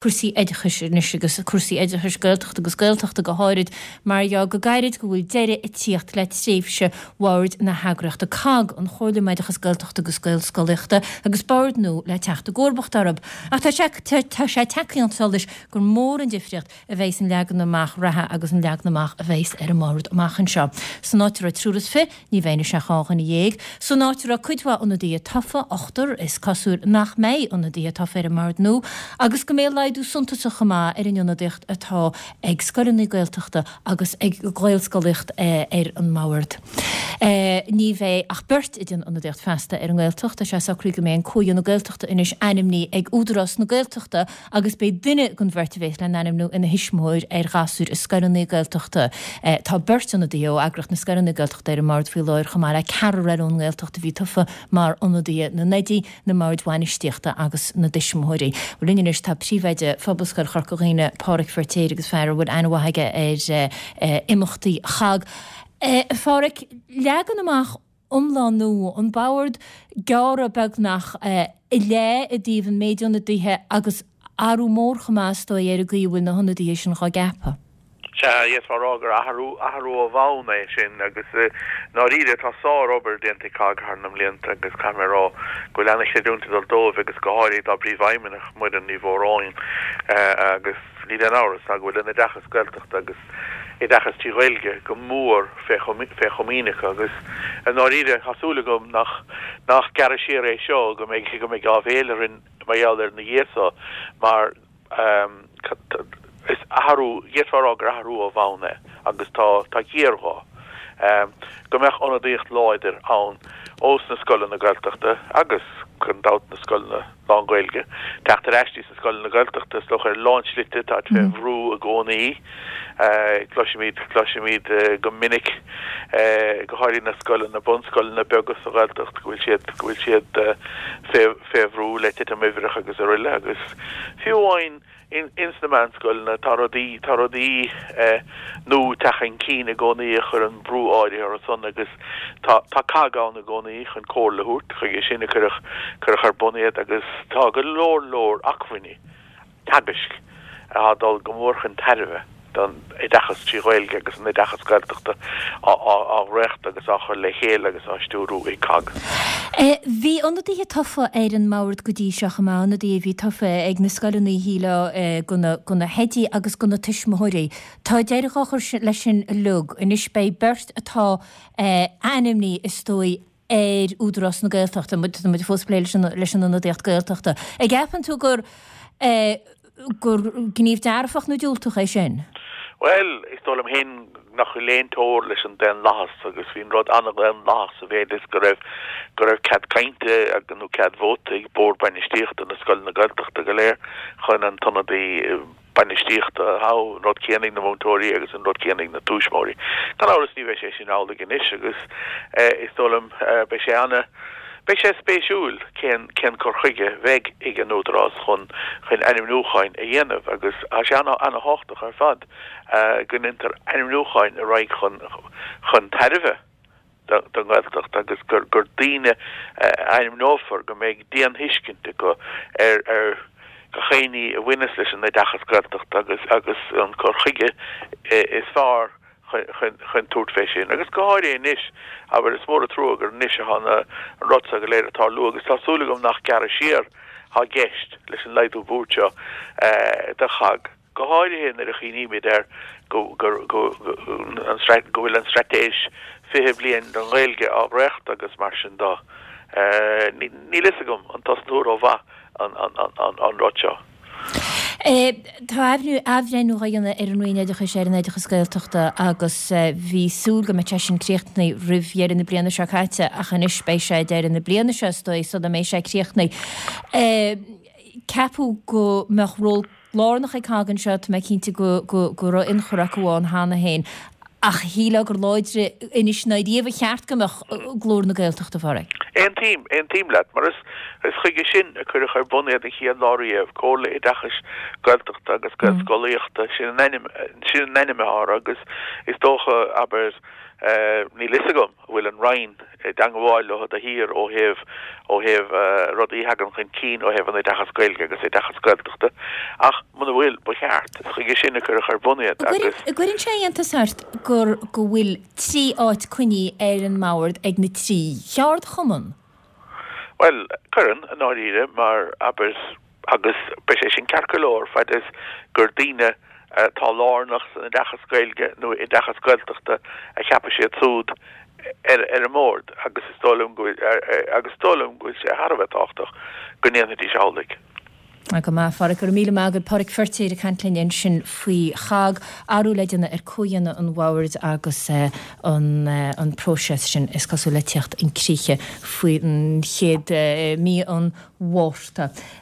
Cúrsaí oideachais anois agus cúrsaí oideachais Gaeltachta agus Gaeltachta go háirid mar gheall go gairid go bhfuil deireadh ag tíocht le tréimhse bhord na heagraíochta COGG, an Chomhairle um Oideachas Gaeltachta agus Gaelscolaíochta, agus bord nua le teacht i gcomharbacht orthu. Ach tá sé tá sé tagtha chun solais gur mór an difríocht a bheidh san leagan amach reatha agus an leagan amach a bheidhs ar an mbord amach anseo. San áit a raibh triúr is fi, Ní bheidh anois ach 12 dhuine. San áit a raibh cuid mhaith ionadaithe tofa, ochtar, is cosúil nach mbeidh ionadaithe tofa ar an mbord nua agus go mbeidh laghdú suntasach chomh maith ar an ionadaíocht atá ag scoileanna Gaeltachta agus ag Gaelscolaíocht ar an mbord. Ní bheidh ach beirt ag déanamh ionadaíocht feasta ar an nGaeltacht. Tá sé socraithe go mbeidh an Comhdhéanamh Gaeltachta anois ainmnithe ag Údarás na Gaeltachta agus beidh duine den bheirt a bhéas le n-ainmniú ina thuismitheoir ar ghasúir i scoileanna Gaeltachta. Tá beirt ionadaithe ó eagraíocht na scoileanna Gaeltachta ar an mbord faoi láthair chomh maith le ceathrar eile ón nGaeltacht a bhí tofa mar ionadaithe na n-oidí, na mboird bhainistíochta agus na dtuismitheoirí. Bhuel linn anois tá príomhoide Phobalscoil Chorca Dhuibhne, Pádhraic Feirtéar agus fear a bhfuil aithne mhaith aige ar imeachtaí CHOGG. A Phádhraic, leagan amach iomlán nua, an bord gearrtha beagnach i leath i dtaobh an méid ionadaithe agus athrú mór chomh maith is dóigh ar an gcaoi a bhfuil na hionadaithe sin dhá gceapadh. Sea, d'fhéadfá a rá gur athrú, athrú ó bhonn é sin agus i ndáiríre tá sár-obair déanta ag COGG thar na mblianta agus caithfidh mé a rá go bhfuil ana-chreidiúint ag dul dóibh agus go háirithe dá bpríomhfheidhmeannach, Muireann Ní Mhóráin agus níl aon amhras ná go bhfuil an oideachas Gaeltachta agus oideachas trí Ghaeilge go mór fé chomaoin acu agus i ndáiríre tá súil agam nach nach gearradh siar é seo, go mbeidh go mbeidh áibhéil orainn mar gheall air ina dhiaidh so mar is athrú, d'fhéadfá a rá gur athrú ó bhonn é agus tá tá géarghá go mbeadh ionadaíocht láidir ann ós na scoileanna Gaeltachta agus gan dabht na scoileanna lán-Ghaeilge. Teacht ar ais dtí sna scoileanna Gaeltachta, is dócha, ar a lán slite, táid fé bhrú i gcónaí. Cloisimid, cloisimid go minic, go háirithe na scoileanna, bunscoileanna beaga sa Ghaeltacht, go bhfuil siad, go bhfuil siad fé, fé bhrú le titim uimhreach agus aroile agus fiú amháin, Ins na meánscoileanna tá rudaí, tá rudaí nua ag teacht chun cinn i gcónaí a chuireann brú áirithe orthu san agus tá, tá COGG ann i gcónaí chun comhairle a thabhairt, chuige sin a cuireadh, cuireadh ar bun iad agus tá go leor leor acmhainní teagaisc atá ag dul go mór chun tairbhe don oideachas trí Ghaeilge agus an oideachas Gaeltachta á dhréachtadh agus á chur le chéile agus á stiúrú ag COGG. Bhí ionadaithe tofa ar an mbord go dtí seo chomh maith, ionadaithe a bhí tofa ag na scoileanna, shílfeá, do na hoidí agus do na tuismitheoirí. Tá deireadh á chur leis sin uilig. Anois beidh beirt atá ainmnithe, is dóigh, ar Údarás na Gaeltachta, tá muid fós ag plé leis an ionadaíocht Gaeltachta. An gceapann tú gur gur gníomh dearfach nó diúltach é sin? Bhuel, is dóigh liom féin nach bhfuil aon teora leis an daonlathas agus bhí an rud an-daonlathach sa mhéid is go raibh go raibh cead cainte nó cead vóta ag bord bainistíochta na scoileanna Gaeltachta go léir chun an t-ionadaí bainistíochta a thoghadh, an rud céanna ag na múinteoirí agus an rud céanna ag na tuismitheoirí. Gan amhras ní bheidh sé sin amhlaidh anois agus is dóigh liom beidh sé ana, beidh sé spéisiúil cén, cén cur chuige bheidh ag an Údarás chun, chun ainmniúcháin a dhéanamh agus tá sé ana, ana thábhachtach ar fad go ndéantar ainmniúcháin a raghaidh chun, chun tairbhe. don nGaeltacht agus gur daoine a ainmneofar go mbeidh dian-thuiscint acu ar ar gach aon ní a bhaineas leis an oideachas Gaeltachta agus agus an cur chuige is fearr chun chun tabhairt fé sin. Agus go háirithe anois, abair, is mór an trua gur anois atá an rud seo go léir ag tarlú agus tá súil agam nach gearradh siar atá i gceist leis an laghdú boird seo do CHOGG. go háirithe nuair a chuimhnímid ar go bhfuil an Straitéis 20 Bliain don Ghaeilge á dhréachtadh agus mar sin de. Níl fhios agam an tosnú rómhaith an rud seo. Tá athbhreithniú á dhéanamh ar an Roinn Oideachais ar an oideachas Gaeltachta agus bhí súil go mbeadh sé sin críochnaithe roimh dheireadh na bliana seo caite ach anois beidh sé deireadh na bliana seo is dóigh sula mbeidh sé críochnaithe. Ceapadh go mbeadh ról lárnach ag COGG anseo, tá mé cinnte go go raibh ionchur acu ann cheana féin, ach shílfeá gur láidre anois ná riamh ba cheart go mbeadh glór na Gaeltachta, a Phádraig. Aontaím, aontaím leat, mar is is chuige sin a cuireadh ar bun iad an chéad lá riamh, Comhairle Oideachais Gaeltachta agus Gaelscolaíochta, sin an ainm, sin an ainm atá orthu agus is dócha, abair. Níl fhios agam an bhfuil an Roinn i dteangmháil leo de shíor ó thaobh ó thaobh rudaí a thagann chun cinn ó thaobh an oideachas Gaeilge agus oideachas Gaeltachta ach muna bhfuil, ba cheart. Is chuige sin a cuireadh ar bun iad agus. An gcuireann sé iontas ort gur go bhfuil 3 áit coinnithe ar an mbord ag na 3 cheardchumann? Bhuel, cuireann, i ndáiríre, mar, abair, agus beidh sé sin ceart go leor fad is gur daoine atá lárnach san oideachas Gaeilge nó oideachas Gaeltachta a cheapfaidh siad súd ar ar an mbord agus is dóigh liom go bhfuil agus is dóigh liom go bhfuil sé thar a bheith tábhachtach go ndéanfaidís amhlaidh. Go maith, a Pháraic. Go raibh míle maith agat. Páraic Feirtéar ag caint linn ansin faoi ChOGG, athrú le déanamh ar comhdhéanamh an bhoird agus an an próiseas sin is cosúil le teacht chun críche faoin chéad mí an Mhárta.